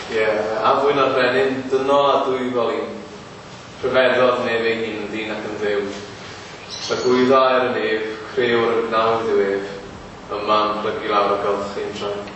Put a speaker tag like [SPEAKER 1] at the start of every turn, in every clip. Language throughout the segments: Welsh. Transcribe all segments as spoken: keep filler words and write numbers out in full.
[SPEAKER 1] Ie, a fwy na'r brenin, dynol a dwyfol un. Rhyfeddodd nef ei hun yn ddyn ac yn dduw. Tragwyddo ar y nef, crëwr y gnawd yw ef, yma'n plygu lawr y golchi'n traed.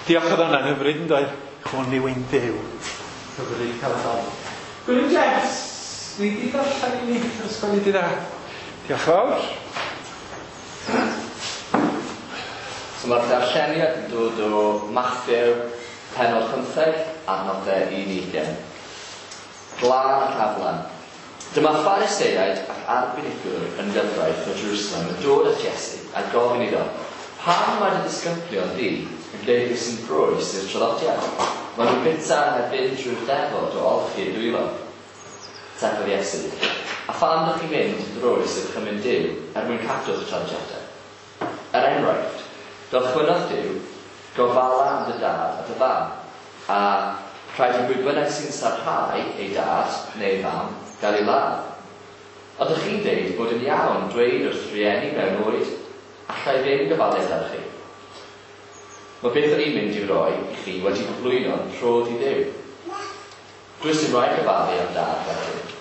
[SPEAKER 2] Diolch, oedd hwnna'n hyfryd yn doedd? Hwn yw ein Duw. Hyfryd cael y dal. Gwilym Jeffs, ni di darllen i ni ysgol i di dda. Diolch fawr.
[SPEAKER 3] So mae'r darlleniad yn dod o Mathew, pennod pymtheg, adnodau un i ugain. Glân ac aflan. Dyma Phariseaid ac arbenigwr yn gyfraith o Jerusalem yn dod at Iesu a gofyn iddo, pam mae dy ddisgyblion di yn gwneud beth sy'n groes i'r traddodiad? Maen nhw'n bwyta heb fynd drwy'r defod o olchi eu dwylo. Atebodd Iesu, a pham ydych chi'n mynd yn groes i'r gorchymyn Duw er mwyn cadw'ch traddodiadau? Er enghraifft, gorchmynnodd Duw, gofala am dy dad a dy fam, a rhaid i bwy bynnag sy'n sarhau ei dad neu ei fam gael ei ladd. Ond ydych chi'n deud bod yn iawn dweud wrth rieni mewn oed, allai ddim gofalu amdanoch chi. Mae beth o'n i'n mynd i'w roi i chi wedi cyflwyno'n rhodd i Dduw. Does dim rhaid gofalu am dad wedyn.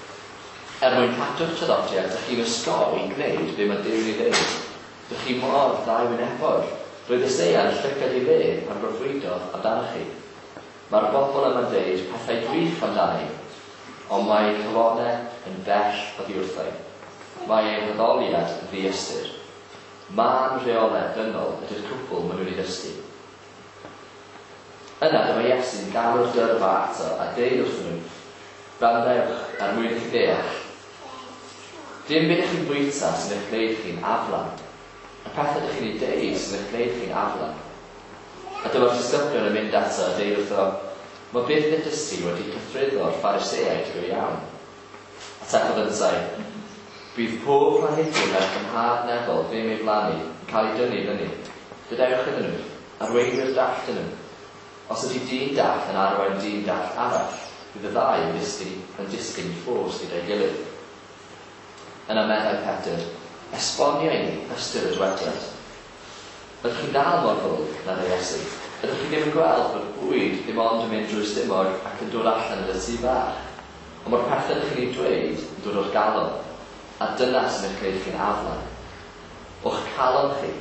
[SPEAKER 3] Er mwyn cadw'ch traddodiad, dych chi'n osgoi gwneud be mae Duw'n ei ddeud. Dych chi mor ddau wynebog. Roedd Eseia yn llygad ei le pan broffwydodd amdanoch chi. Mae'r bobl yma'n deud pethau gwych amdani, ond mae eu calonnau yn bell oddi wrtho. Mae eu haddoliad yn ddiystyr. Mân rheolau dynol ydy'r cwbl maen nhw'n ei ddysgu. Yna dyma Iesu'n galw'r dyrfa ato a deud wrthyn nhw, gwrandewch er mwyn i chi ddeall. Dim byd ych chi'n bwyta sy'n eich gwneud chi'n aflan. Y pethau ydych chi'n ei deud sy'n eich gwneud chi'n aflan. A dyma'r disgyblion yn mynd ato a deud wrtho, mae beth ddudest ti wedi cythruddo'r Phariseaid go iawn. Atebodd yntau, bydd pob planhigyn wnaeth fy nhad nefol ddim ei blannu yn cael ei dynnu fyny. Gadewch iddyn nhw, arweinwyr dall ydyn nhw. Os ydy dyn dall yn arwain dyn dall arall, bydd y ddau yn disgyn, yn disgyn i ffos gyda'i gilydd. Yna meddai Pedr, esbonio i ni ystyr y dywediad. Ydych chi'n dal mor ddwl, meddai Iesu? Ydych chi ddim yn gweld bod bwyd ddim ond yn mynd drwy'r stumog ac yn dod allan yn y tŷ bach? Ond mae'r pethau ydych chi'n ei dweud yn dod o'r galon, a dyna sy'n eich gwneud chi'n aflan. O'ch calon chi,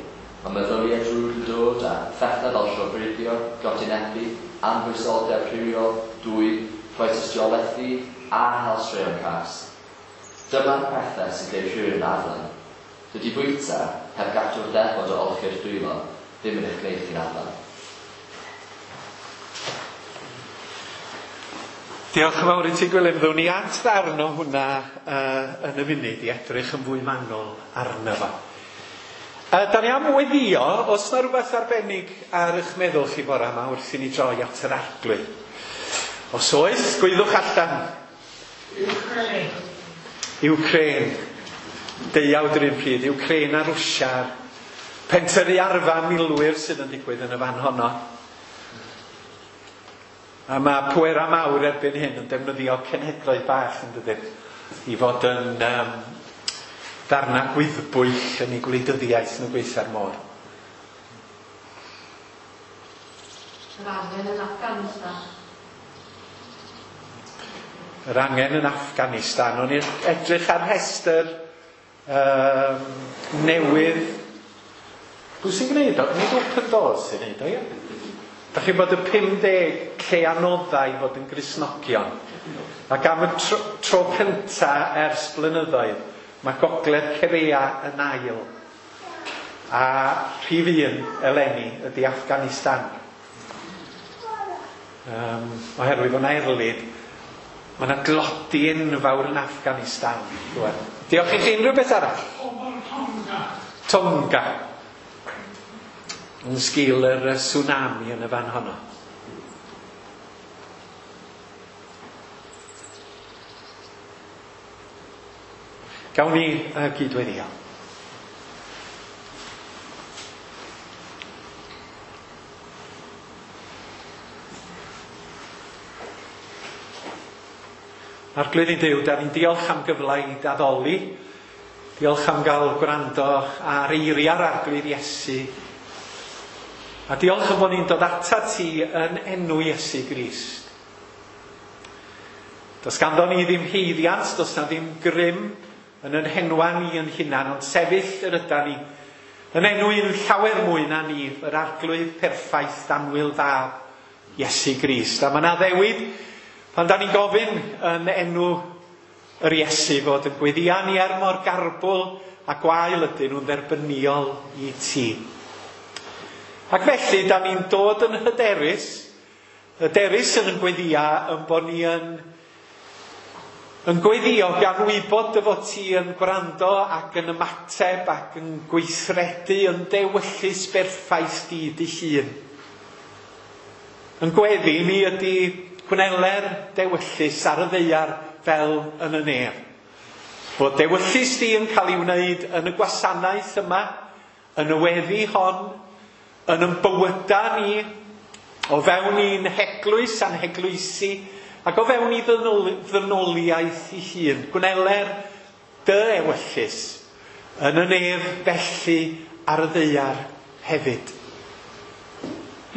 [SPEAKER 3] mae meddyliau drwg yn dod a phethau fel llofruddio, godinebu, anfoesoldeb rhywiol, dwyn, rhoi tystiolaeth ffug, a hel straeon cas. Dyma'r pethau sy'n gwneud rhywun yn aflan. Dydy bwyta, heb gadw'r defod o olchi'r dwylo, ddim yn eich gwneud chi'n aflan.
[SPEAKER 2] Diolch yn fawr i ti, Gwilym. Ddown ni at ddarn o hwnna uh, yn y funud i edrych yn fwy manwl arno fo. Uh, da ni am weddio, os na rhywbeth arbennig ar eich meddwl chi bora yma wrth i ni droi at yr Arglwydd. Os oes, gwyddwch allan.
[SPEAKER 4] Ukraine.
[SPEAKER 2] Ukraine. Deuawd yr un pryd, Ukraine a Rwsia. Pentyrru arfa milwyr sydd yn digwydd yn y fan honno. A mae pwera mawr erbyn hyn yn defnyddio cenhedloedd bach yn dydyn i fod yn um, ddarna gwyddbwyll yn ei gwleidyddiaeth nhw gweitha'r modd.
[SPEAKER 4] Yr angen yn Afghanistan.
[SPEAKER 2] Yr angen yn Afghanistan. O'n i'n edrych ar rhestr um, newydd. Pwy sy'n gwneud o? Nid Open Doors sy'n gwneud o, ie? Da chi'n bod y pum deg lle anoddau i fod yn Gristnogion. Ac am y tro, tro cynta ers blynyddoedd, mae Gogledd Corea yn ail. A rhif un eleni ydy Afghanistan. Um, oherwydd o'n erlid, mae yna glodi enfawr yn Afghanistan. Rwan. Diolch i chi. Unrhyw beth arall?
[SPEAKER 4] Tonga.
[SPEAKER 2] Tonga. Yn sgil yr tsunami yn y fan honno. Gawn ni uh, gydweddio. Arglwydd ein Duw, da ni'n diolch am gyfle i addoli. Diolch am gael gwrando ar eiriau'r Arglwydd Iesu. A diolch am bod ni'n dod ata ti yn enw Iesu Grist. Does ganddo ni ddim haeddiant, does na ddim grym yn yn henwa ni yn hunan, ond sefyll yr yda ni yn enw un llawer mwy na ni, yr Arglwydd perffaith annwyl fab Iesu Grist. A mae yna addewid pan da ni'n gofyn yn enw yr Iesu fod yn gweddia ni er mor garbwl a gwael ydyn nhw'n dderbyniol i ti. Ac felly, da ni'n dod yn hyderus, hyderus yn yn gweddia yn bod ni yn Yn gweddio gan wybod dy fod ti yn gwrando ac yn ymateb ac yn gweithredu yn dewyllys berffaith di dy hun. Yn gweddi ni ydy gwneler dewyllys ar y ddaear fel yn y nef. Bod dewyllys di yn cael ei wneud yn y gwasanaeth yma, yn y weddi hon, yn yn bywyda ni, o fewn i'n heglwys a'n heglwysi, ac o fewn i ddynoliaeth i hun. Gwneler dy ewyllys yn y nef felly ar y ddaear hefyd.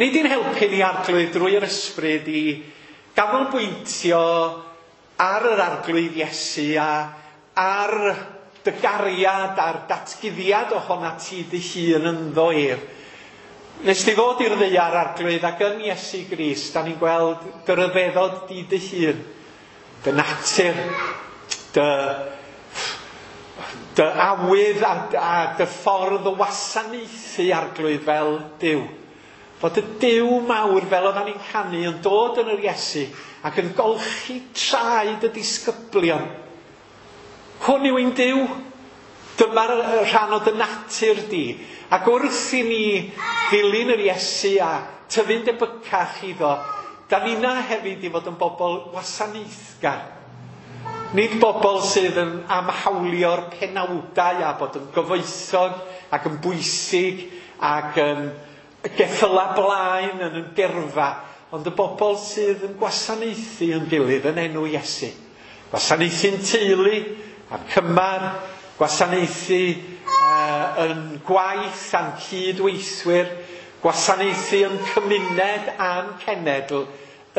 [SPEAKER 2] Nid i'n helpu ni Arglwydd drwy'r ysbryd i ganolbwyntio ar yr Arglwydd Iesu a ar dy gariad a'r datguddiad ohona ti dy hun ynddo ef. Nes di ddod i'r ddaear, Arglwydd, ac yn Iesu Grist, da ni'n gweld dy ryfeddod di dy hun, dy natur, dy, dy awydd a, a dy ffordd o wasanaethu, Arglwydd, fel Duw. Fod y Duw mawr, fel oeddan ni'n canu, yn dod yn yr Iesu ac yn golchi traed y disgyblion. Hwn yw ein Duw. Dyma'r rhan o dy natur di. Ac wrth i ni ddilyn yr Iesu a tyfu'n debycach iddo, da ni'na hefyd i fod yn bobl wasanaethgar. Nid bobl sydd yn amhawlio'r penawdau a bod yn gyfoethog ac yn bwysig ac yn geffyla blaen yn yn gyrfa, ond y bobl sydd yn gwasanaethu yn gilydd yn enw Iesu. Gwasanaethu'n teulu a'n cymar, gwasanaethu uh, yn gwaith a'n cydweithwyr, gwasanaethu yn cymuned a'n cenedl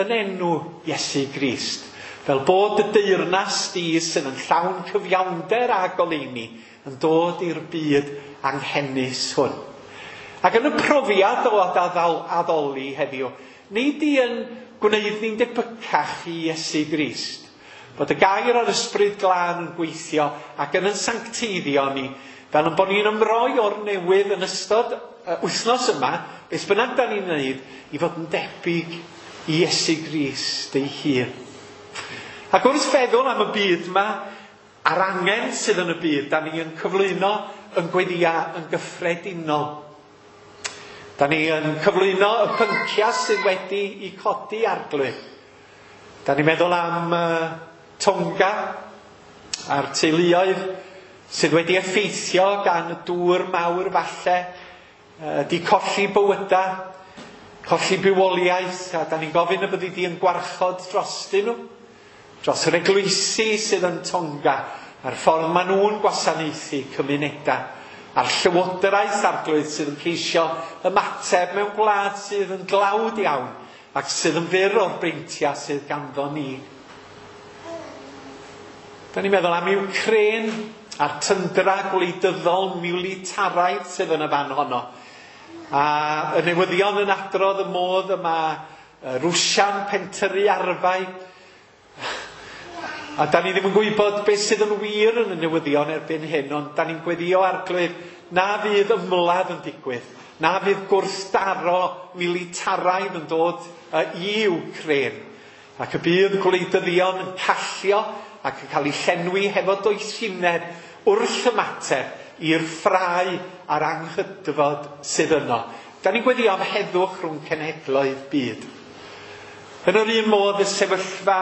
[SPEAKER 2] yn enw Iesu Grist. Fel bod y deyrnas di sydd yn llawn cyfiawnder a goleuni yn dod i'r byd anghenus hwn. Ac yn y profiad o addoli heddiw, nid i yn gwneud ni'n debycach i Iesu Grist. Bod y gair o'r Ysbryd Glân yn gweithio ac yn yn sancteiddio ni, fel yn bod ni'n ymroi o'r newydd yn ystod wythnos yma, beth bynnag da ni'n wneud, i fod yn debyg i Iesu Grist ei hun. Ac wrth feddwl am y byd yma, a'r angen sydd yn y byd, da ni yn cyflwyno yn gweddia yn gyffredinol. Da ni yn cyflwyno y pynciau sydd wedi i codi, Arglwydd. Da ni'n meddwl am uh, Tonga a'r teuluoedd sydd wedi effeithio gan y dŵr mawr falle, uh, di colli bywyda, colli bywoliaeth, a da ni'n gofyn y byddi di yn gwarchod drostyn nhw, dros yr eglwysi sydd yn Tonga, a'r ffordd maen nhw'n gwasanaethu cymunedau, a'r llywodraeth, Arglwydd, sydd yn ceisio ymateb mewn gwlad sydd yn dlawd iawn ac sydd yn fyr o'r breintiau sydd ganddo ni. Da ni'n meddwl am Ukraine a'r tyndra gwleidyddol militaraidd sydd yn y fan honno. A y newyddion yn adrodd y modd yma Rwsia'n pentyrru arfau. A da ni ddim yn gwybod beth sydd yn wir yn y newyddion erbyn hyn, ond da ni'n gweddio, Arglwydd, na fydd ymladd yn digwydd, na fydd gwrthdaro militaraidd yn dod i Ukraine, ac y bydd gwleidyddion yn callio ac yn cael ei llenwi hefo doethineb wrth ymateb i'r ffrae a'r anghydfod sydd yno. Da ni'n gweddio am heddwch rhwng cenhedloedd byd. Yn yr un modd, y sefyllfa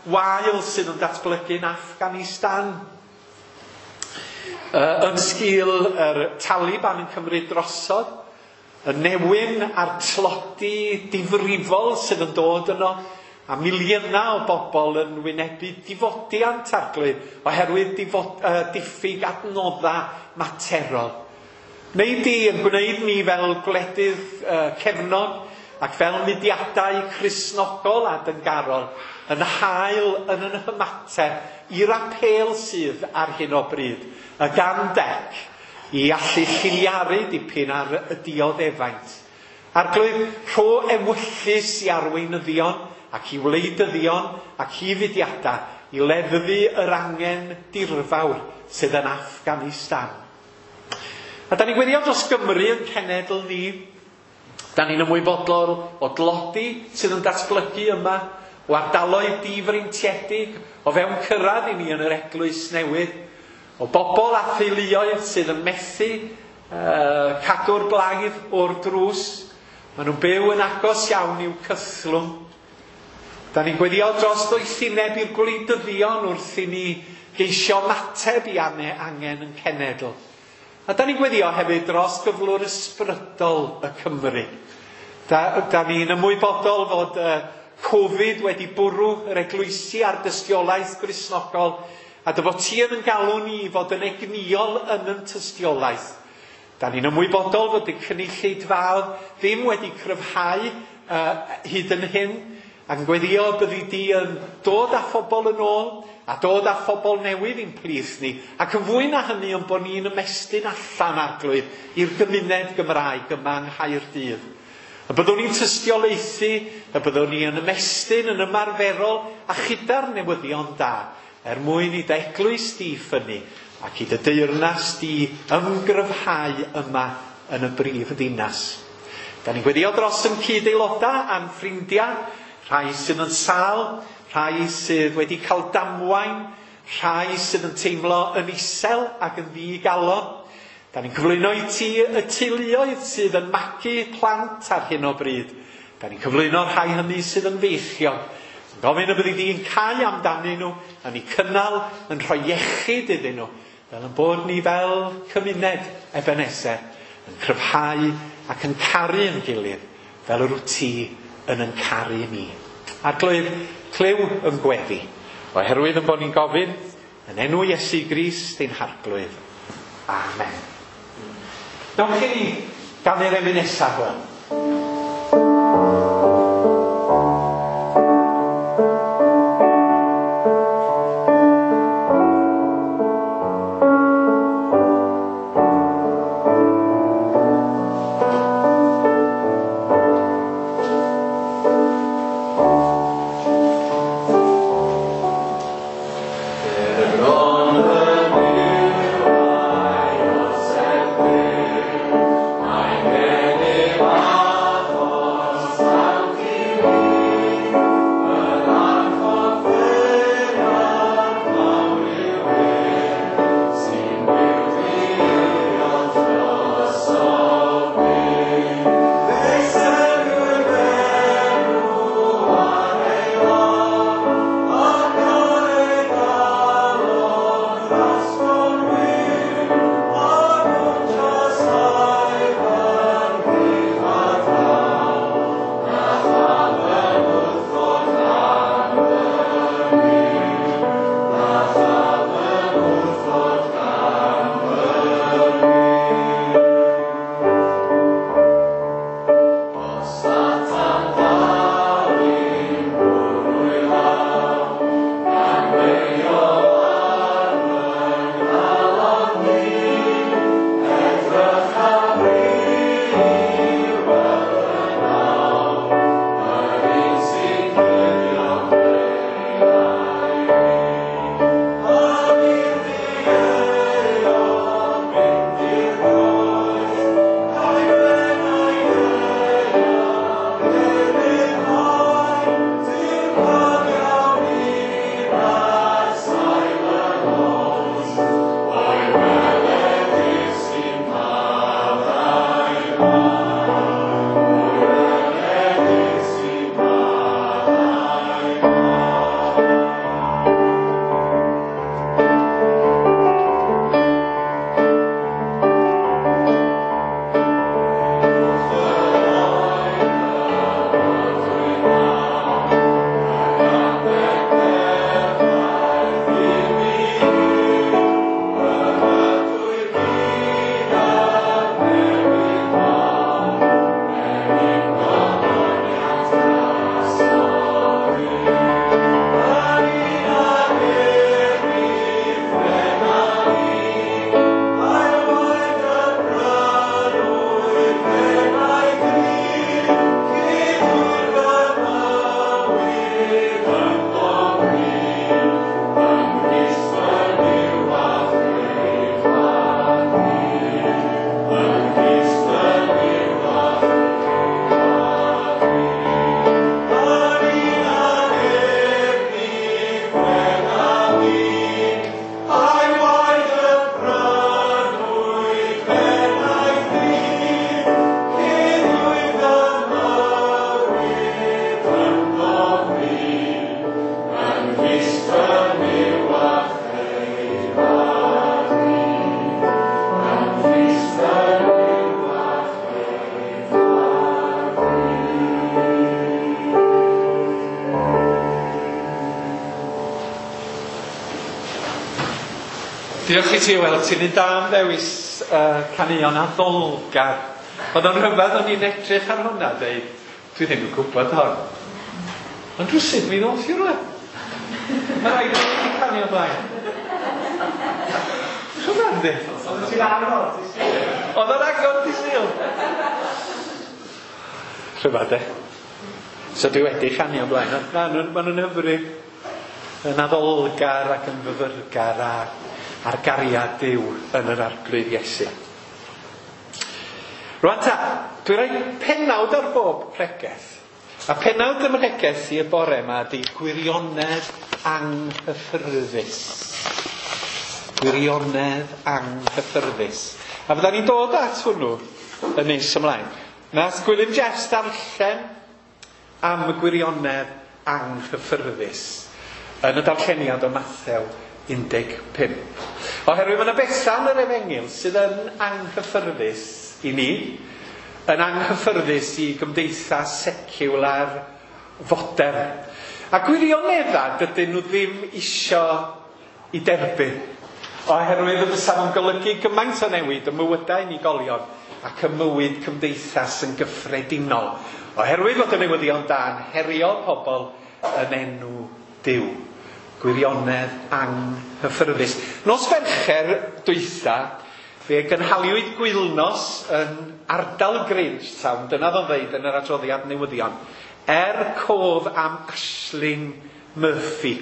[SPEAKER 2] wael sydd yn datblygu yn Afghanistan. Uh, yn sgil yr Taliban yn cymryd drosodd, y newyn a'r tlodi difrifol sydd yn dod yno, a miliynau o bobl yn wynebu difodiant, Arglwydd, oherwydd difod, uh, diffyg adnoddau materol. Neu di yn gwneud ni fel gwledydd uh, cefnog ac fel mudiadau Cristnogol a dyngarol yn hael yn yn hymateb i'r apêl sydd ar hyn o bryd, y gan dec, i allu lliniaru dipyn ar y dioddefaint. Arglwydd, rho ewyllys i arweinyddion ac i wleidyddion ac i fudiadau i leddfu yr angen dirfawr sydd yn Afghanistan. A da ni'n gweddio dros Gymru yn cenedl ni. Da ni'n ymwybodol o dlodi sydd yn datblygu yma, o ardaloedd difreintiedig, o fewn cyrraedd i ni yn yr eglwys newydd, o bobl a theuluoedd sydd yn methu uh, cadw'r blaidd o'r drws. Maen nhw'n byw yn agos iawn i'w cythlwng. Da ni'n gweddio dros ddoethineb i'r gwleidyddion wrth i ni geisio ymateb i angen yn cenedl. A da ni'n gweddio hefyd dros gyflwr ysbrydol y Cymru. Da, da ni'n ymwybodol fod uh, Covid wedi bwrw yr eglwysi a'r dystiolaeth Gristnogol, a dy fod ti yn galw ni i fod yn egnïol yn yn tystiolaeth. Da ni'n ymwybodol fod y cynulleidfaoedd ddim wedi cryfhau uh, hyd yn hyn, ac yn gweddio byddi di yn dod â phobl yn ôl, a dod â phobl newydd i'n plith ni, ac yn fwy na hynny yn bod ni'n ymestyn allan, Arglwydd, i'r gymuned Gymraeg yma yng Nghaerdydd. Y byddwn ni'n tystiolaethu, y byddwn ni yn ymestyn yn ymarferol a chyda'r newyddion da, er mwyn i dy eglwys di ffynnu ac i dy deyrnas di ymgryfhau yma yn y brif ddinas. Da ni'n gweddio dros yn cyd-aelodau a'n ffrindiau, rhai sydd yn sâl, rhai sydd wedi cael damwain, rhai sydd yn teimlo yn isel ac yn ddigalon. Da ni'n cyflwyno i ti y teuluoedd sydd yn magu plant ar hyn o bryd. Da ni'n cyflwyno rhai hynny sydd yn feichiog. Yn gofyn y byddi di'n cau amdanyn nhw, yn eu cynnal, yn rhoi iechyd iddyn nhw, fel yn bod ni fel cymuned Ebenezer, yn cryfhau ac yn caru yn gilydd, fel yr wyt ti yn yn caru ni. Arglwydd, clyw yn gweddi, oherwydd yn bod ni'n gofyn, yn enw Iesu Grist ein Harglwydd. Amen. Dewch i ni ganu'r emyn nesaf hwn.
[SPEAKER 1] Amen.
[SPEAKER 2] Diolch i ti, Wel, ti'n un da am ddewis uh, caneuon addolgar. Oedd o'n rhyfedd o'n i'n edrych ar hwnna, deud, dwi ddim yn gwybod hon. Ond rhywsut mi ddoth i rhywle. Mae rhaid i fi canu o blaen. Rhyfedd, di?
[SPEAKER 5] Oedd ti'n agor di Sul.
[SPEAKER 2] Oedd o'n agor di Sul. Rhyfedd, de. So dwi wedi canu o blaen. Na, maen nhw'n hyfryd. Yn addolgar ac yn fyfyrgar a a'r gariad Duw yn yr Arglwydd Iesu. Rwan ta, dwi'n rhoi pennawd ar bob pregeth. A pennawd ym mhregeth i y bore yma ydy gwirionedd anghyffyrddus. Gwirionedd anghyffyrddus. A fydda ni'n dod at hwnnw yn nes ymlaen. Nath Gwilym Jeffs darllen am y gwirionedd anghyffyrddus yn y darlleniad o Mathew un deg pump. Oherwydd mae yna bethau yn yr efengyl sydd yn anghyffyrddus i ni, yn anghyffyrddus i gymdeithas seciwlar fodern. A gwirioneddau dydyn nhw ddim isio i derbyn, oherwydd y fysa fo'n golygu gymaint o newid y mywydau unigolion ac y mywyd cymdeithas yn gyffredinol. Oherwydd fod y newyddion da'n herio pobl yn enw Duw. Gwirionedd anghyffyrddus. Nos Fercher dwytha, fe gynhaliwyd gwylnos yn ardal Grangetown, dyna ddo'n ddeud yn yr adroddiad newyddion, er cof am Ashling Murphy,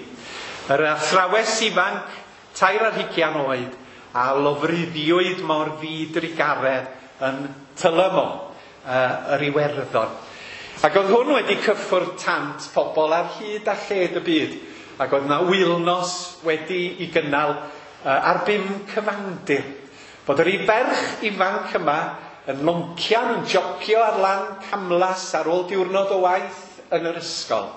[SPEAKER 2] yr athrawes ifanc, tair ar hugian oed, a lofruddiwyd mor ddidrugaredd yn Tullamore, uh, yr Iwerddon. Ac oedd hwn wedi cyffwrdd tant pobl ar hyd a lled y byd. Ac oedd yna wylnos wedi i gynnal uh, ar bum cyfandir. Bod yr ferch ifanc yma yn loncian, yn jogio ar lan camlas ar ôl diwrnod o waith yn yr ysgol.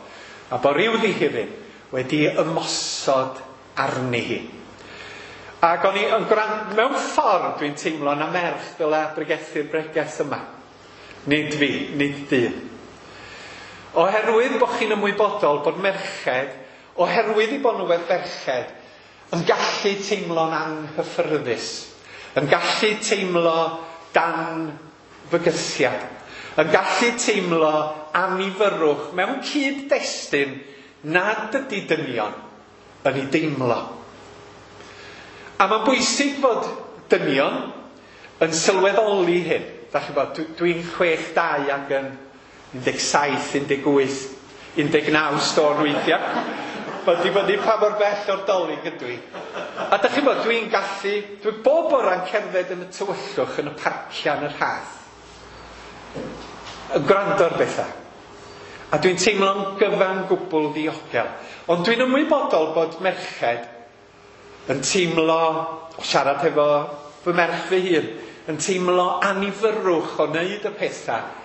[SPEAKER 2] A bod rhyw ddihiryn wedi ymosod arni hi. Ac o'n i yn gwrando, mewn ffordd dwi'n teimlo na merch dylai bregethu'r bregeth yma. Nid fi, nid dyn. Oherwydd bod chi'n ymwybodol bod merched, oherwydd i bod nhw fel ferched, yn gallu teimlo'n anghyffyrddus, yn gallu teimlo dan fygythiad, yn gallu teimlo annifyrrwch mewn cyd-destun nad ydy dynion yn ei deimlo. A mae'n bwysig fod dynion yn sylweddoli hyn. Dach chi'n bod, dwi'n chwech dau ac yn un deg saith, un deg wyth, un deg naw stôn weithiau. Mae'n dibynnu pa mor bell o'r Dolig ydw i. A dach chi'n bod, dwi'n gallu, dwi bob bora'n cerdded yn y tywyllwch yn y parciau yn yr Rhath. Yn gwrando ar bethau. A dwi'n teimlo'n gyfan gwbl ddiogel. Ond dwi'n ymwybodol bod merched yn teimlo, o siarad efo fy merch fy hun, yn teimlo annifyrrwch o wneud y pethau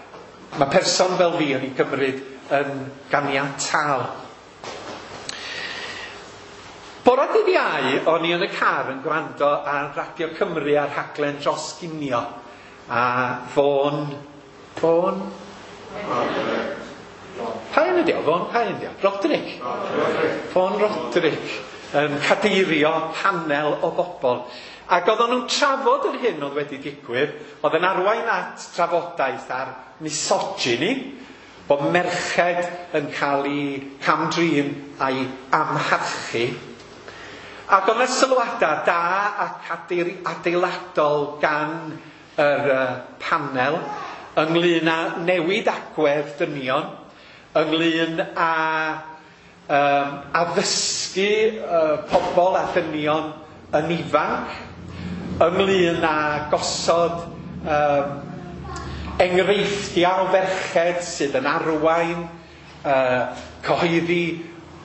[SPEAKER 2] mae person fel fi yn ei gymryd yn ganiataol. Bore dydd Iau, o'n i yn y car yn gwrando ar Radio Cymru a'r rhaglen Dros Ginio. A Fôn... Fôn? Pa un ydi o? Fôn pa un ydi o? Roderick. Fôn Roderick yn cadeirio panel o bobl. Ac oedden nhw'n trafod yr hyn oedd wedi digwydd, oedd yn arwain at trafodaeth ar misogyny, bod merched yn cael eu cam-drin a'i amharchu. Ac oedd yna sylwadau da ac adeiladol gan yr uh, panel ynglyn â newid agwedd dynion, ynglyn â um, addysgu uh, pobl a dynion yn ifanc, ynglyn â gosod um, enghreifftiau o ferched sydd yn arwain, uh, cyhoeddi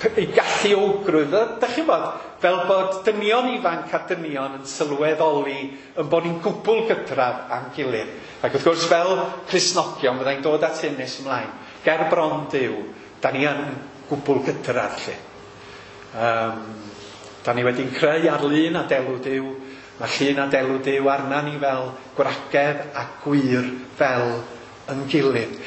[SPEAKER 2] eu galluogrwydd. Dach chi'n bod, fel bod dynion ifanc a dynion yn sylweddoli yn bod ni'n gwbl gydradd â'n gilydd. Ac wrth gwrs, fel Cristnogion, fyddai'n dod at hyn nes ymlaen. Ger bron Duw, da ni yn gwbl gydradd, lle. Um, da ni wedi'n creu ar lun a delw Duw. Mae llun a delw Duw arna ni fel gwragedd a gwir fel yn gilydd.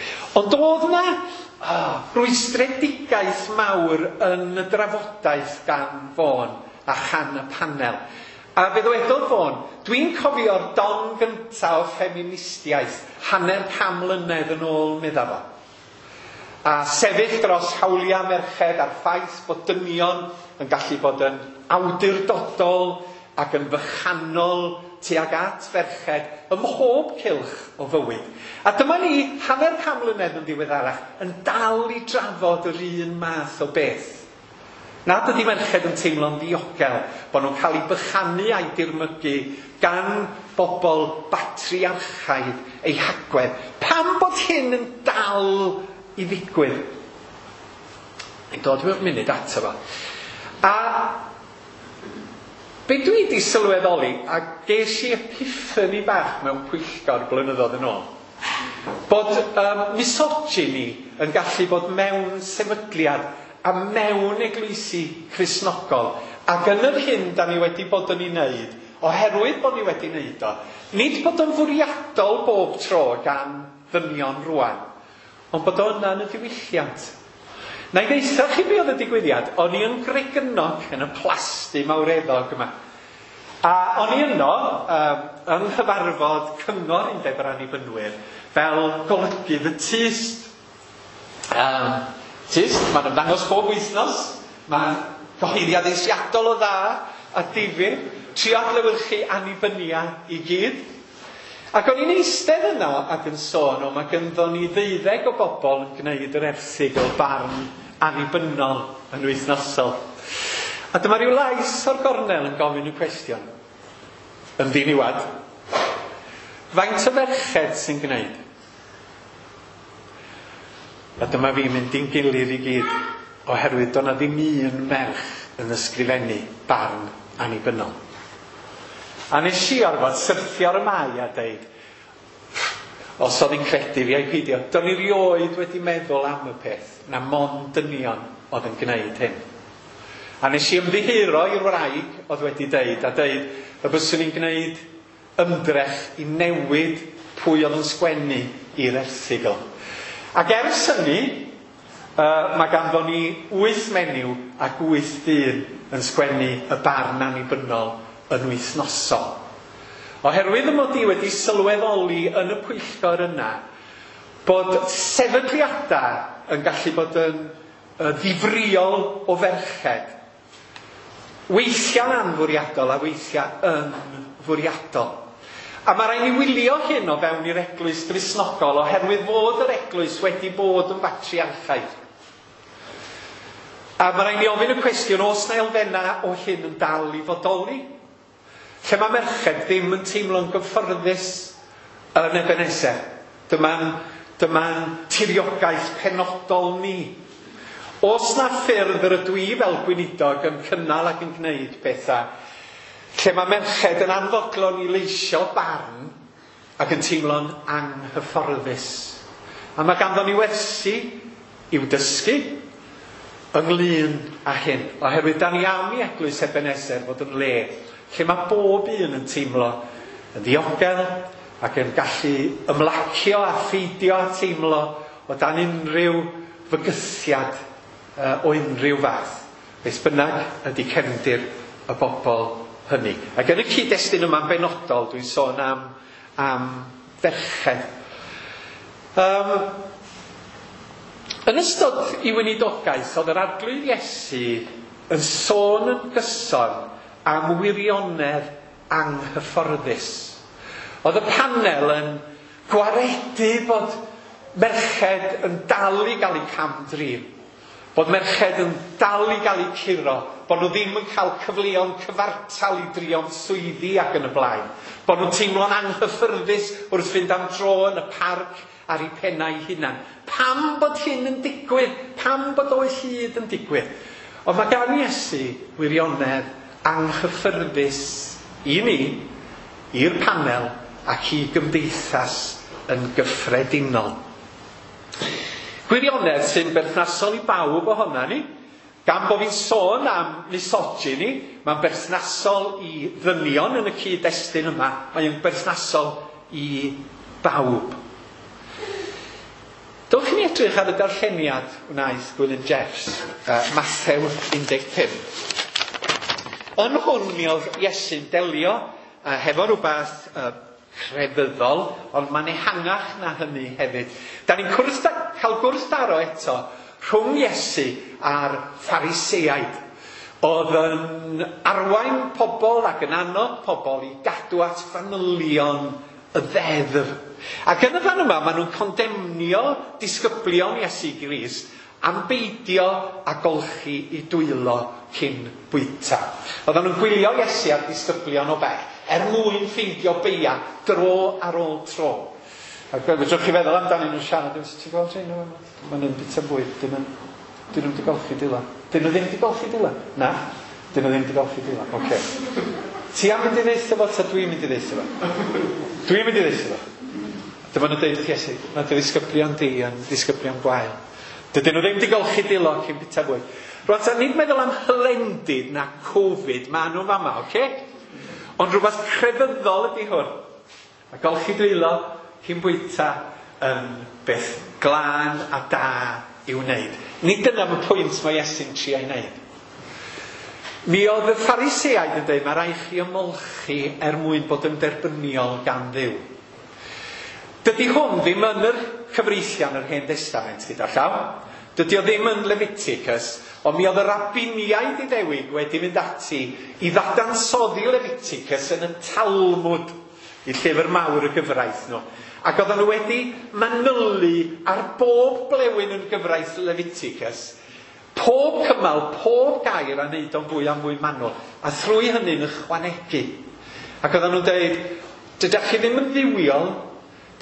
[SPEAKER 2] Ond oedd na oh, rwystredigaeth mawr yn y drafodaeth gan Fôn a chan y panel. A fe ddywedodd Fôn, dwi'n cofio'r don gyntaf o ffeministiaeth hanner can mlynedd yn ôl, medda fo. A sefyll dros hawliau merched a'r ffaith bod dynion yn gallu bod yn awdurdodol ac yn fychanol tuag at ferched ym mhob cylch o fywyd. A dyma ni, hanner can mlynedd yn ddiweddarach, yn dal i drafod yr un math o beth. Nad ydy merched yn teimlo'n ddiogel, bod nhw'n cael eu bychanu a'u dirmygu gan bobl batriarchaidd eu hagwedd. Pam bod hyn yn dal i ddigwydd? Yn dod mewn munud ato fo. A be dwi wedi sylweddoli, a ges i epiphany bach mewn pwyllgor blynyddoedd yn ôl, bod um, misogyny yn gallu bod mewn sefydliad a mewn eglwysi Cristnogol. Ac yn yr hyn da ni wedi bod yn ei wneud, oherwydd bod ni wedi wneud o, nid bod o'n fwriadol bob tro gan ddynion rwan, ond bod o yna yn y diwylliant. Na i ddeutha chi be oedd y digwyddiad, o'n i yn Gregynog yn y plasty mawreddog yma. A o'n i yno um, yng nghyfarfod Cyngor Undeb yr Annibynwyr fel golygydd y Tyst. Um, Tyst, mae'n ymddangos bob wythnos, mae'n gyhoeddiad eithriadol o dda a difyr, trio adlewyrchu annibynia i gyd. Ac o'n i'n eistedd yno ac yn sôn o, mae gynddo ni ddeuddeg o bobl yn gwneud yr erthygl barn annibynnol yn wythnosol. A dyma rhyw lais o'r gornel yn gofyn y cwestiwn, yn ddiniwad, faint o ferched sy'n gwneud? A dyma fi'n mynd i'n gilydd i gyd, oherwydd doedd 'na ddim un merch yn ysgrifennu barn annibynnol. A nes i orfod syrthio ar y mai a deud, os oedd hi'n credu fi a'i peidio, do'n i rioed wedi meddwl am y peth, na mond dynion oedd yn gwneud hyn. A nes i ymddiheuro i'r wraig oedd wedi deud, a deud y byswn i'n gwneud ymdrech i newid pwy oedd yn sgwennu i'r erthygl. Ac ers hynny, uh, mae ganddo ni wyth menyw ac wyth dyn yn sgwennu y barn annibynnol yn wythnosol. Oherwydd y mod i wedi sylweddoli yn y pwyllgor yna bod sefydliadau yn gallu bod yn ddifrïol o ferched. Weithiau'n anfwriadol a weithiau yn fwriadol. A mae rhaid ni wylio hyn o fewn i'r eglwys Gristnogol oherwydd fod yr eglwys wedi bod yn batriarchaidd. A mae rhaid ni ofyn y cwestiwn, oes na elfennau o hyn yn dal i fodoli? Lle mae merched ddim yn teimlo'n gyfforddus yn Ebenezer. Dyma'n dyma tiriogaeth penodol ni. Oes na ffyrdd yr ydw i fel gweinidog yn cynnal ac yn gwneud pethau lle mae merched yn anfodlon i leisio barn ac yn teimlo'n anghyfforddus. A mae ganddo ni wersi i'w dysgu ynglyn â hyn. Oherwydd da ni am i eglwys Ebenezer fod yn le lle mae bob un yn teimlo yn ddiogel ac yn gallu ymlacio a pheidio a teimlo o dan unrhyw fygythiad uh, o unrhyw fath. Beth bynnag ydy cefndir y bobl hynny. Ac yn y cyd-destun yma'n benodol, dwi'n sôn am, am ferched. Um, yn ystod ei weinidogaeth, oedd yr Arglwydd Iesu yn sôn yn gyson am wirionedd anghyfforddus. Oedd y panel yn gwaredu bod merched yn dal i gael eu cam-drin, bod merched yn dal i gael eu curo, bod nhw ddim yn cael cyfleon cyfartal i drio'n swyddi ac yn y blaen, bod nhw'n teimlo'n anghyffyrddus wrth fynd am dro yn y parc ar eu pennau hunan. Pam bod hyn yn digwydd? Pam bod o hyd yn digwydd? Ond mae gan Iesu wirionedd anghyffyrddus i ni, i'r panel ac i gymdeithas yn gyffredinol. Gwirionedd sy'n berthnasol i bawb ohona ni. Gan bod fi'n sôn am misogyny, mae'n berthnasol i ddynion yn y cyd-destun yma, mae'n berthnasol i bawb. Dowch i ni edrych ar y darlleniad wnaeth Gwilym Jeffs, uh, Mathew un deg pump. Yn hwn mi oedd Iesu'n delio uh, hefo rhywbeth uh, crefyddol, ond mae'n ehangach na hynny hefyd. Da ni'n cael gwrthdaro eto rhwng Iesu a'r Phariseaid, oedd yn arwain pobl ac yn annog pobl i gadw at fanylion y ddeddf. Ac yn y fan yma, maen nhw'n condemnio disgyblion Iesu Grist am beidio a golchi i dwylo cyn bwyta. Oedden nhw'n gwylio Iesu a'r disgyblion o bell, er mwyn ffeindio beia dro ar ôl tro. Ac fedrwch chi feddwl amdanyn nhw'n siarad, ti'n gweld rhain nhw? Maen nhw'n bwyta bwyd, dyn nhw'n dyn nhw'n di golchi dwylo. Dyn nhw ddim di golchi dwylo? Na, dyn nhw ddim di golchi dwylo. Oce. Ti am mynd i ddeutha fo, ta dwi'n mynd i ddeutha fo? Dwi'n mynd i ddeutha fo. Dyma nhw'n deud wrth Iesu, mae dy ddisgyblion di yn ddisgyblion gwael. Dydyn nhw ddim di golchi dwylo cyn bwyta bwyd. Rwan ta, nid meddwl am hylendid na Covid, ma nhw'n fama, oce? Ond rhywbeth crefyddol ydy hwn. A golchi dwylo cyn bwyta yn beth glân a da i'w wneud. Nid dyna y pwynt mae Iesu'n trio ei wneud. Mi oedd y Phariseaid yn dweud, mae rhaid chi ymolchi er mwyn bod yn derbyniol gan Dduw. Dydy hwn ddim yn yr cyfreithiau yn yr Hen Testament gyda llaw. Dydy o ddim yn Leviticus, ond mi oedd y rabiniaid Iddewig wedi mynd ati i ddadansoddi Leviticus yn y Talmud, i llyfr mawr y gyfraith nhw. Ac oedden nhw wedi manylu ar bob blewyn yn gyfraith Leviticus, pob cymal, pob gair a wneud o'n fwy a mwy manwl, a thrwy hynny'n ychwanegu. Ac oedden nhw'n dweud, dydych chi ddim yn dduwiol,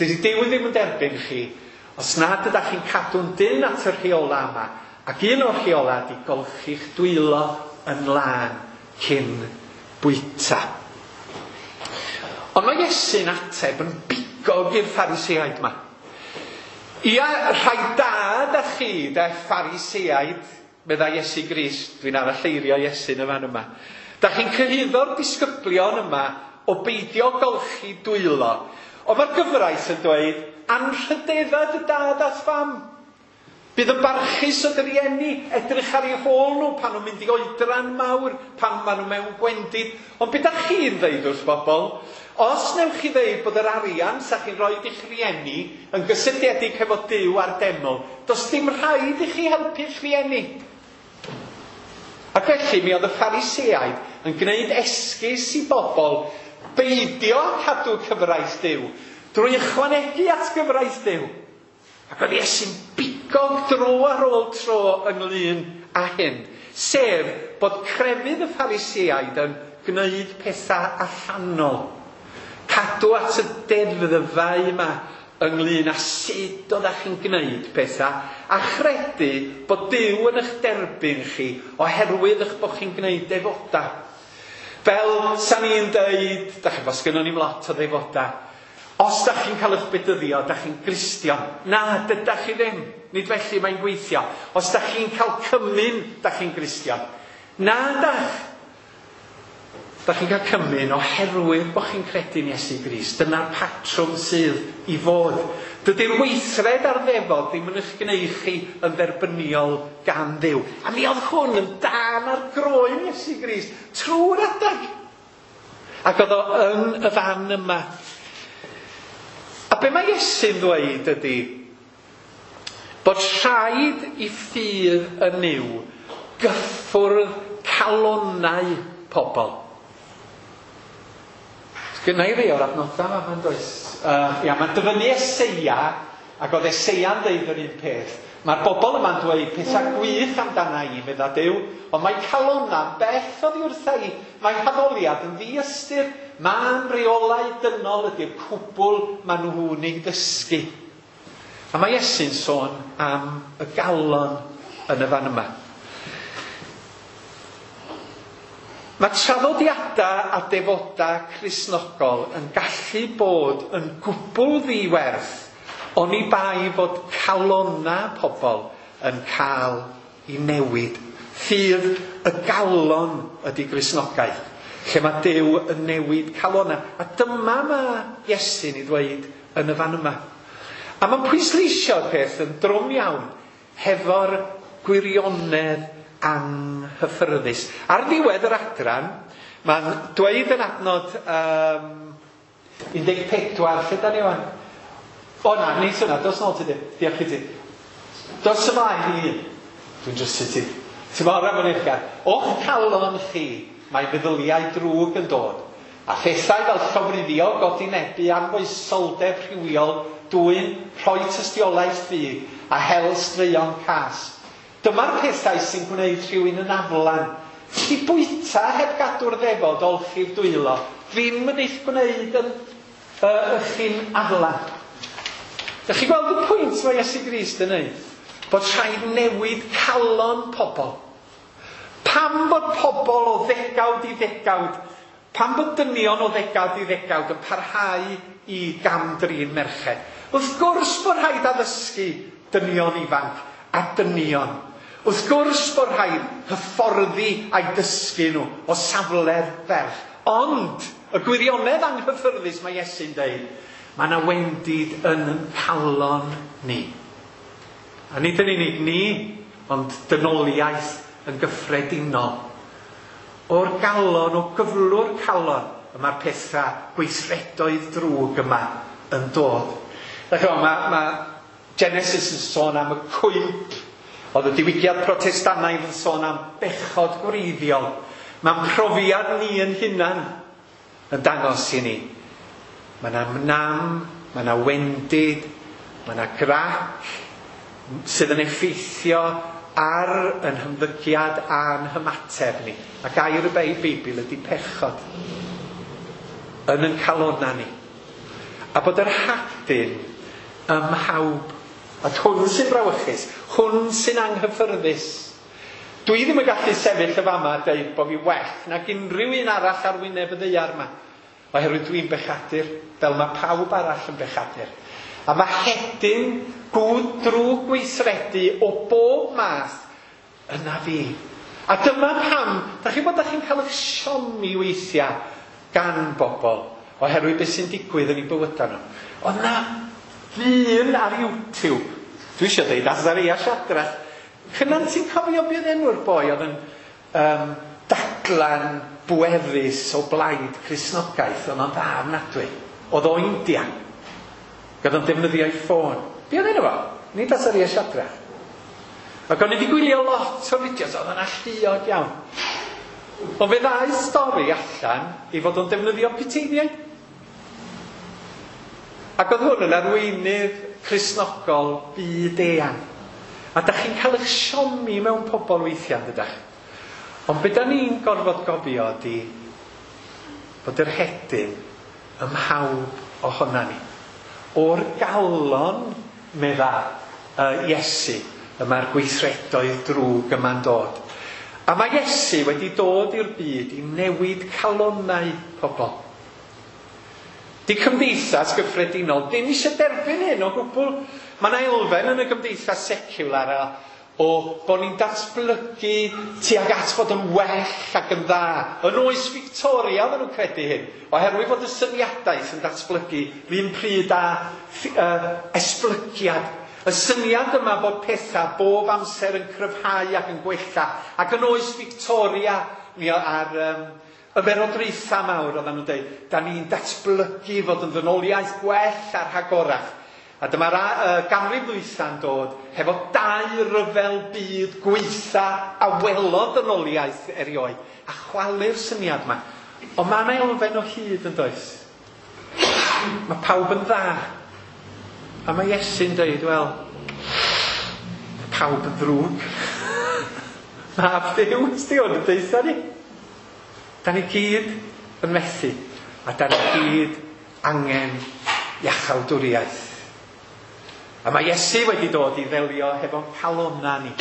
[SPEAKER 2] dydy Duw ddim yn derbyn chi, os nad ydych chi'n cadw'n dynn at y rheola yma, ac un o'r rheola ydy golchi'ch dwylo yn lân cyn bwyta. Ond mae Iesu'n ateb yn bigog i'r Phariseaid yma. Ia, rhai da da chi, de Phariseaid, meddai Iesu Grist, dwi'n aralleirio Iesu yn y fan yma. Da chi'n cyhuddo'r disgyblion yma o beidio golchi dwylo. Ond mae'r gyfraith yn dweud, anrhydedda dy dad a'th fam. Bydd yn barchus o dy rieni, edrych ar eu hôl nhw pan nhw'n mynd i oedran mawr, pan maen nhw mewn gwendid. Ond beth ydych chi'n dweud wrth bobl? Os newch chi ddeud bod yr arian sa chi'n rhoi i'ch rieni yn gysylltiedig hefo Duw a'r deml, does dim rhaid i chi helpu'ch rieni. Ac felly mi oedd y Phariseaid yn gwneud esgus i bobl beidio cadw cyfraith Duw drwy ychwanegu at gyfraith Duw. Ac oedd Iesu'n bigog dro ar ôl tro ynglyn â hyn, sef bod crefydd y Phariseaid yn gwneud pethau allanol. Cadw at y deddfau yma ynglyn â sut oeddech chi'n gwneud pethau, a chredu bod Duw yn eich derbyn chi oherwydd eich bod chi'n gwneud defodau. Fel sa ni'n deud, da chi'n fos gynnon ni'm lot o ddefodau, os da chi'n cael eich bedyddio, da chi'n Gristion. Na, dydach chi ddim. Nid felly mae'n gweithio. Os da chi'n cael cymun, da chi'n Gristion. Na, dach. Da chi'n cael cymun oherwydd bod chi'n credu'n Iesu Grist. Dyna'r patrwm sydd i fod. Dydy'r weithred a'r ddefod ddim yn eich gwneud chi yn dderbyniol gan Dduw. A mi oedd hwn yn dan ar groen Iesu Grist trwy'r adag. Ac oedd o yn y fan yma. A be mae Iesu'n ddweud ydy bod rhaid i ffydd yn Nuw gyffwrdd calonnau pobl. Gynna i rei o'r adnodau yma, mae'n does. Uh, ia, mae'n dyfynnu Eseia, ac oedd Eseia'n deud yr un peth. Mae'r bobl yma'n dweud pethau gwych amdana i, medda Duw, ond mae calonna'n bell oddi wrtha i. Mae haddoliad yn ddiystyr. Ma'n reolau dynol ydy'r cwbl maen nhw'n ei ddysgu. A mae Iesu'n sôn am y galon yn y fan yma. Mae traddodiadau a defodau Cristnogol yn gallu bod yn gwbl ddiwerth oni bai fod calonnau pobl yn cael ei newid. Ffydd y galon ydy Gristnogaeth, lle mae Duw yn newid calonnau. A dyma mae Iesu'n ei ddweud yn y fan yma. A mae'n pwysleisio'r peth yn drwm iawn hefo'r gwirionedd anghyffyrddus. Ar ddiwedd yr adran, mae'n dweud yn adnod um, un deg pedwar, lle da ni wan? O na, neis yna, dos nôl ti di. Diolch i ti. Dos ymlaen i un. Dwi'n drysu ti. Ti'n mor am yn eich. O'ch calon chi, mae meddyliau drwg yn dod. A phethau fel llofruddio, godinebu, anfoesoldeb rhywiol, dwyn, rhoi tystiolaeth ffug a hel straeon cas. Dyma'r pethau sy'n gwneud rhywun yn aflan. Ti bwyta heb gadw'r ddefod olchi'r dwylo, ddim yn eich gwneud yn uh, chi'n aflan. Dych chi gweld y pwynt mae Iesu Grist yn neud? Bod rhaid newid calon pobl. Pam bod pobl o ddegawd i ddegawd, pam bod dynion o ddegawd i ddegawd yn parhau i gam-drin merched? Wrth gwrs bod rhaid addysgu dynion ifanc a dynion. Wrth gwrs bod rhaid hyfforddi a'i dysgu nhw o safle'r ferch. Ond y gwirionedd anghyffyrddus mae Iesu'n deud, mae yna wendid yn ein calon ni. A nid yn unig ni, ond dynoliaeth yn gyffredinol. O'r galon, o gyflwr calon, y mae'r pethau gweithredoedd drwg yma yn dod. Dach chi'n gwbod, mae, mae Genesis yn sôn am y cwymp. Oedd y diwygiad Protestannaidd yn sôn am bechod gwreiddiol. Mae'n profiad ni yn hunan yn dangos i ni. Mae yna nam, mae yna wendid, mae yna grac sydd yn effeithio ar yn hymddygiad a'n hymateb ni. A gair y Beibl ydy pechod yn yn calonna ni. A bod yr hadyn ym mhawb. A hwn sy'n brawychus, hwn sy'n anghyffyrddus. Dwi ddim yn gallu sefyll y fama a deud bod fi well nag unrhyw un arall ar wyneb y ddaear yma. Oherwydd dwi'n bechadur, fel mae pawb arall yn bechadur. A mae hedyn gwd drwg gweithredu o bob math yna fi. A dyma pam, da chi'n bod da chi'n cael eich siomi weithiau gan bobl, oherwydd beth sy'n digwydd yn eu bywydau nhw. Oedd na ddyn ar YouTube, dwi eisiau dweud Azaria Shadrach. Cynan, ti'n cofio beth enw'r boi oedd yn um, dadlan bwerus o blaid Cristnogaeth, oedd o'n dda ofnadwy. Oedd o India. Oedd o'n defnyddio ei ffôn. Be oedd enw fo? Nid Azaria Shadrach. Ac o'n i wedi gwylio lot o fideos, oedd o'n alluog iawn. Ond fe ddaeth stori allan i fod o'n defnyddio puteiniaid. Ac oedd hwn yn arweinydd Cristnogol byd eang. A da chi'n cael eich siomi mewn pobl weithiau, dydach? Ond be da ni'n gorfod gofio ydy bod yr hedyn ym mhawb ohona ni. O'r galon, medda uh, Iesu, y mae'r gweithredoedd drwg yma'n dod. A mae Iesu wedi dod i'r byd i newid calonnau pobl. Di cymdeithas gyffredinol ddim eisiau derbyn hyn o gwbl. Mae yna elfen yn y gymdeithas secular a, o bod ni'n datblygu tuag at fod yn well ac yn dda. Yn oes Victoria oedden nhw'n credu hyn, oherwydd bod y syniadaeth yn datblygu yr un pryd â uh, esblygiad. Y syniad yma bod pethau bob amser yn cryfhau ac yn gwella. Ac yn oes Victoria mi ar um, ymerodraethau mawr oedden nhw'n dweud, da ni'n datblygu fod yn ddynoliaeth gwell a rhagorach. A dyma'r uh, ganrif ddwytha'n dod hefo dau ryfel byd gweitha a welodd dynoliaeth erioed. A chwalu'r syniad yma. Ond mae yna elfen o hyd yn does. Mae pawb yn dda. A mae Iesu'n dweud, wel, mae pawb yn ddrwg. Mab Duw, ysdi hwn yn deutha ni. Da ni gyd yn methu. A da ni gyd angen iachawdwriaeth. A mae Iesu wedi dod i ddelio hefo'n calonna ni.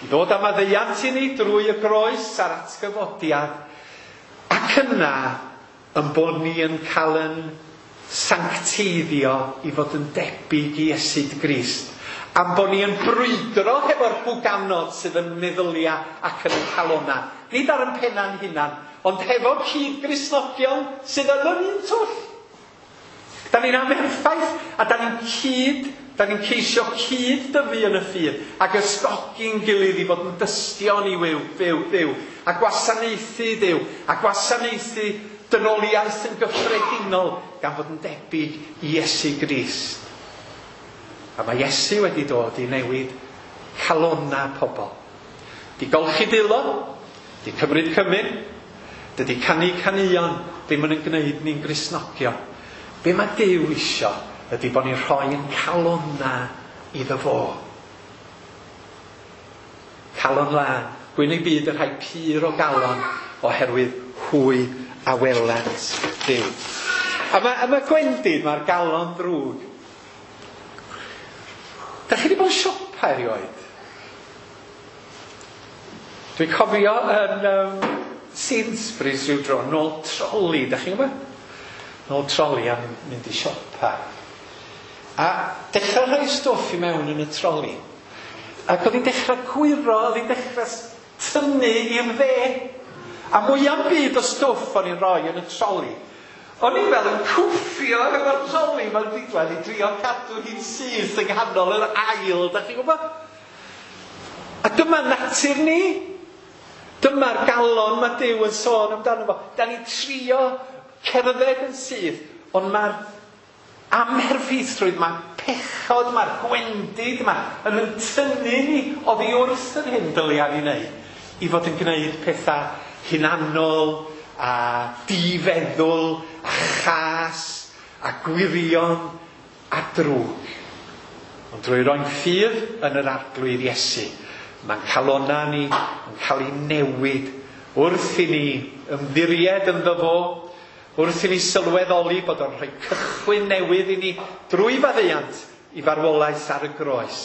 [SPEAKER 2] I ddod â maddeuant i ni drwy y groes a'r atgyfodiad. Ac yna, yn bod ni yn cael yn sancteiddio i fod yn debyg i Iesu Grist. Am bod ni yn brwydro hefo'r bwganod sydd yn meddylia ac yn y calonna. Nid ar yn penna'n hunan, ond hefo cyd-Gristnogion sydd yn yr un twll. Da ni'n amherffaith a da ni'n cyd Da ni'n ceisio cyd-dyfu yn y ffydd ac ysgogi'n gilydd i fod yn dystion i wyw, fyw, Dduw, a gwasanaethu Duw, a gwasanaethu dynoliaeth yn gyffredinol gan fod yn debyg i Iesu Grist. A mae Iesu wedi dod i newid calonna pobl. Di golchi dwylo, di cymryd cymun, dydy canu caneuon ddim yn gwneud ni'n Gristnogion. Be mae Duw isio ydy bod ni'n rhoi yn calonna iddo fo. Calon lân, gwyn eu byd y rhai pur o galon, oherwydd hwy a welant Dduw. A mae, a mae gwendid, mae'r galon ddrwg. Da chi wedi bod yn siopa erioed? Dwi'n cofio yn um, Sainsbury's rhyw dro, nôl troli, da chi'n gwybod? Nôl troli am mynd i siopa. A dechrau rhoi stwff i mewn yn y troli. Ac oedd hi'n dechrau gwyro, oedd hi'n dechrau tynnu i'r dde. A mwyaf byd o stwff o'n i'n rhoi yn y troli. O'n i'n fel yn cwffio efo'r troli mewn diwedd i drio cadw hi'n syth yng nghanol yr ail, da chi'n gwybod? A dyma natur ni. Dyma'r galon mae Duw yn sôn amdano fo. Da ni'n trio cerdded yn syth, ond mae'r amherffeithrwydd, mae pechod, mae'r gwendid yma yn yn tynnu ni oddi wrth yr hyn dylia ni wneud i fod yn gwneud pethau hunanol a difeddwl a chas a gwirion a drwg. Ond drwy roi'n ffydd yn yr Arglwydd Iesu, mae'n calonna ni yn cael ei newid wrth i ni ymddiried ynddo fo, wrth i ni sylweddoli bod o'n rhoi cychwyn newydd i ni drwy faddeuant i farwolaeth ar y groes,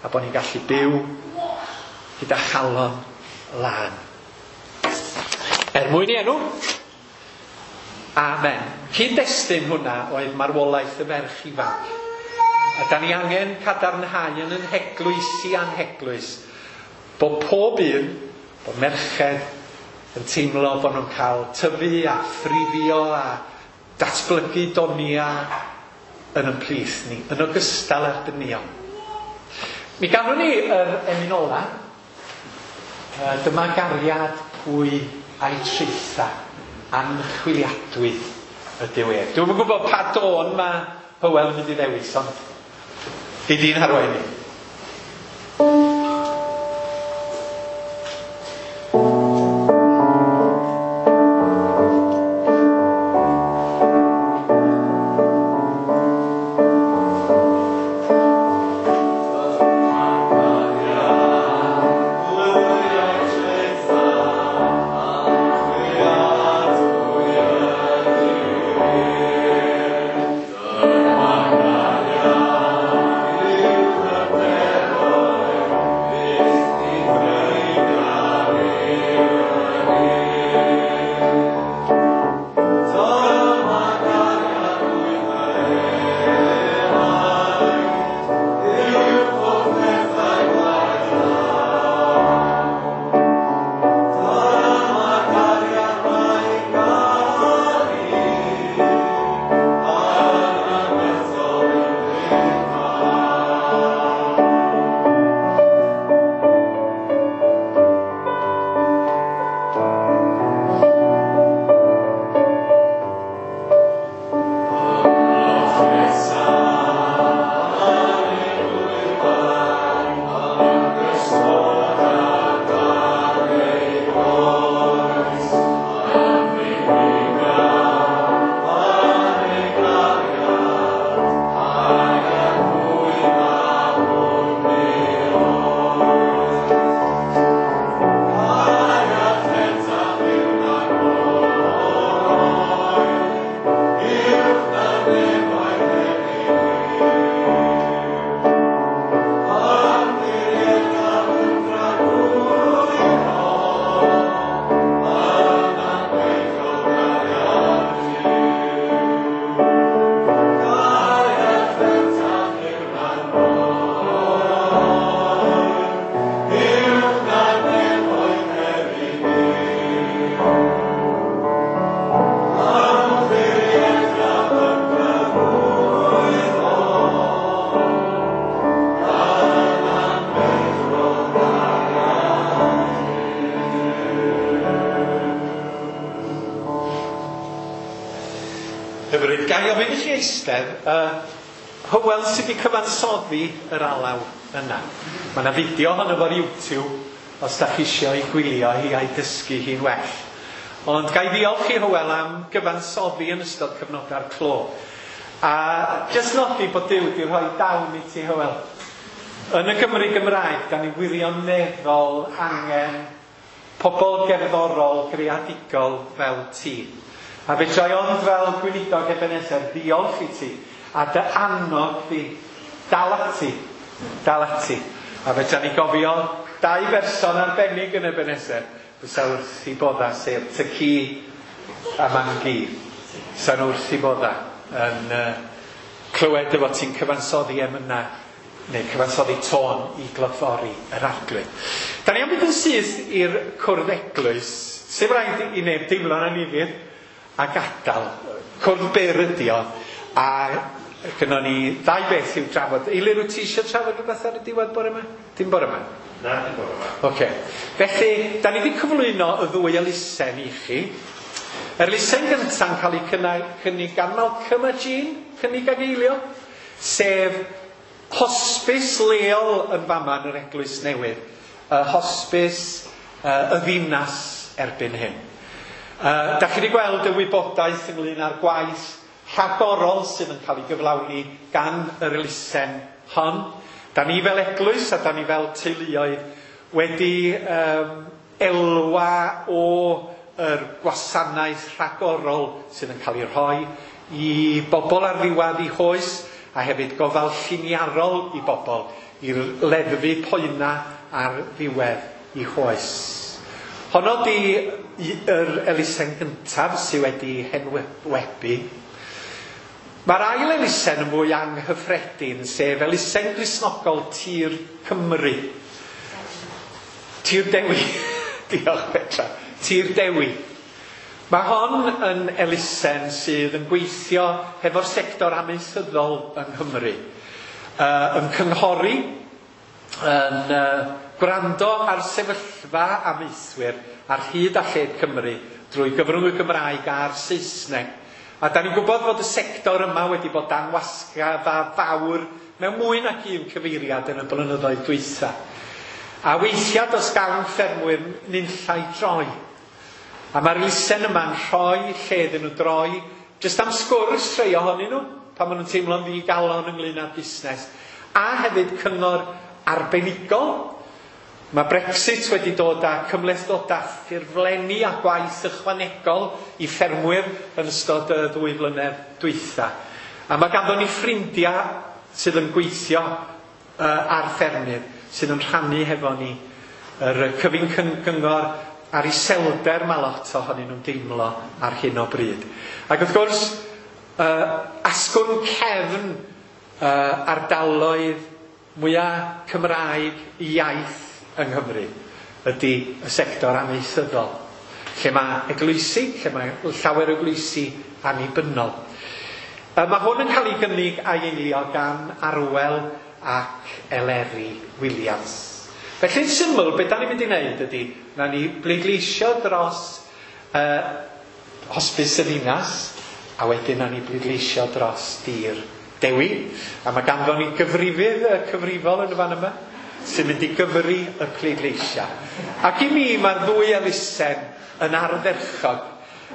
[SPEAKER 2] a bod ni'n gallu byw gyda chalon lân. Er mwyn i enw, amen. Cyd-destun hwnna oedd marwolaeth y ferch ifanc. A da ni angen cadarnhau yn yn heglwys i anheglwys bod pob un, bod merched yn teimlo bod nhw'n cael tyfu a thrifio a datblygu donia yn y plith ni, yn ogystal â'r dynion. Mi ganwn ni yr emyn ola. Dyma gariad pwy a'i traetha, anchwiliadwy ydyw ef. Dwi'm yn gwybod pa dôn mae Hywel yn mynd i ddewis, ond gei di'n harwain ni.
[SPEAKER 1] Dyma
[SPEAKER 2] gofyn i chi eistedd, uh, Hywel sydd wedi cyfansoddi yr alaw yna. Mae yna fideo ohono fo ar YouTube os da chi eisiau ei gwylio hi a'i dysgu hi'n well. Ond ga i ddiolch i Hywel am gyfansoddi yn ystod cyfnodau'r clo. A jyst nodi bod Duw wedi rhoi dawn i ti, Hywel. Yn y Gymru Gymraeg, da ni wirioneddol angen pobl gerddorol, greadigol fel ti. A fedra i ond fel gweinidog Ebenezer ddiolch i ti a dy annog di, dal ati, dal ati. A fedra ni gofio dau berson arbennig yn Ebenezer fysa wrth i bodda, sef Tyci a Mangi. Fysa nhw wrth i bodda yn uh, clywed dy fod ti'n cyfansoddi emyna neu cyfansoddi tôn i glodfori yr Arglwydd. Da ni am fynd yn syth i'r cwrdd eglwys, sef rhaid i neb deimlo'n annifyr a gadael. Cwrdd byr ydi o, a gynnon ni ddau beth i'w drafod. Eilir, wyt ti eisiau trafod rhywbeth ar y diwedd bore yma? Dim bore yma?
[SPEAKER 6] Na, dim bore yma.
[SPEAKER 2] Oce. Felly, da ni wedi cyflwyno y ddwy elusen i chi. Yr elusen gynta'n cael ei cynnig gan Malcolm a Jean, cynnig ag eilio, sef hospis leol yn fama yn yr Eglwys Newydd. Y hospis uh, y ddinas erbyn hyn. Uh, da chi wedi gweld y wybodaeth ynglyn â'r gwaith rhagorol sydd yn cael ei gyflawni gan yr elusen hon. Da ni fel eglwys a da ni fel teuluoedd wedi um, elwa o yr gwasanaeth rhagorol sydd yn cael ei rhoi i bobl ar ddiwedd eu hoes, a hefyd gofal lliniarol i bobl i leddfu poena ar ddiwedd eu hoes. Honno di yr elusen gyntaf sydd wedi henwebu. Mae'r ail elusen yn fwy anghyffredin, sef elusen Gristnogol Tir Cymru. Tir Dewi. Diolch Petra. Tir Dewi. Mae hon yn elusen sydd yn gweithio hefo'r sector amaethyddol yng Nghymru. Uh, yn cynghori, yn uh, gwrando ar sefyllfa amaethwyr ar hyd a lled Cymru drwy gyfrwng y Gymraeg a'r Saesneg. A da ni'n gwybod fod y sector yma wedi bod dan wasga fawr mewn mwy nag un cyfeiriad yn y blynyddoedd dwytha. A weithiau does gan ffermwyr nunllai droi. A mae'r elusen yma'n rhoi lle iddyn nhw droi, jyst am sgwrs rhai ohonyn nhw, pan maen nhw'n teimlo'n ddigalon ynglyn â'r busnes. A hefyd cyngor arbenigol. Mae Brexit wedi dod â cymhlethdodau ffurflenni a gwaith ychwanegol i ffermwyr yn ystod y ddwy flynedd dwytha. A mae ganddo ni ffrindiau sydd yn gweithio uh, ar ffermydd, sydd yn rhannu hefo ni yr cyfun cyngor a'r iselder mae lot ohonyn nhw'n deimlo ar hyn o bryd. Ac wrth gwrs, uh, asgwrn cefn uh, ardaloedd mwyaf Cymraeg iaith yng Nghymru ydy y sector amaethyddol, lle mae eglwysi, lle mae llawer o eglwysi annibynnol. Mae hwn yn cael ei gynnig a'i eilio gan Arwel ac Eleri Williams. Felly'n syml, beth da ni'n mynd i wneud ydy, na ni bleidleisio dros uh, hospis y ddinas, a wedyn na ni bleidleisio dros Dir Dewi. A mae ganddo ni gyfrifydd y cyfrifol yn y fan yma, sy'n mynd i gyfri y pleidleisiau. Ac i mi mae'r ddwy elusen yn ardderchog,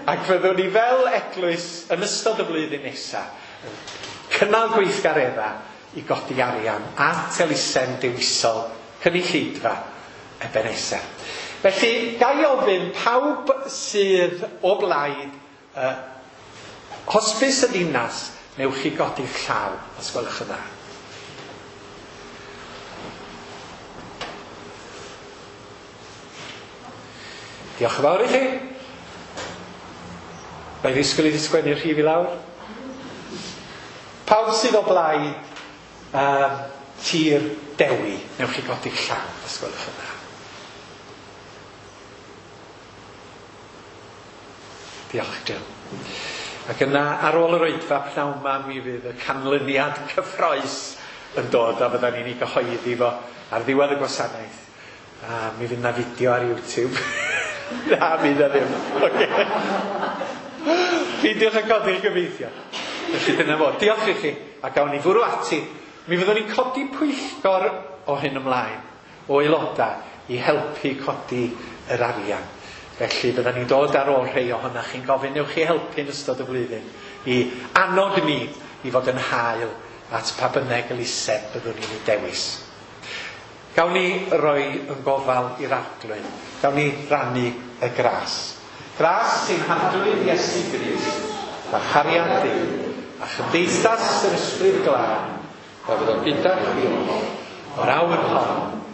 [SPEAKER 2] ac fyddwn ni fel eglwys yn ystod y flwyddyn nesaf yn cynnal gweithgareddau i godi arian at elusen dewisol cynulleidfa Ebenezer. Felly, ga i ofyn pawb sydd o blaid uh, hospis y ddinas, newch chi godi'ch llaw os gwelwch yn dda. Diolch yn fawr i chi. Mae ddisgwyl i fi sgwennu'r rhif i lawr. Pawb sydd o blaid um, Tir Dewi, newch chi godi'ch llaw os gwelwch yn dda. Diolch, Jill. Ac yna, ar ôl yr oedfa pnawn 'ma, mi fydd y canlyniad cyffrous yn dod a fyddan ni'n ei gyhoeddi fo ar ddiwedd y gwasanaeth. A mi fydd na fideo ar YouTube. Na, mi fydd na ddim. Okay. Peidiwch â codi'ch gobeithio. Felly dyna fo. Diolch i chi, a gawn ni fwrw ati. Mi fyddwn ni'n codi pwyllgor o hyn ymlaen, o aelodau, i helpu codi yr arian. Felly byddwn ni'n dod ar ôl rhai ohonoch chi'n gofyn, newch chi helpu yn ystod y flwyddyn i annog ni i fod yn hael at pa bynnag elusen byddwn ni'n ei dewis. Gawn ni roi yn gofal i'r Arglwydd. Gawn ni rannu y gras. Gras sy'n Harglwydd Iesu Grist, a chariad Duw, a chymdeithas yr Ysbryd Glân, a fyddo gyda chi o'r awr hon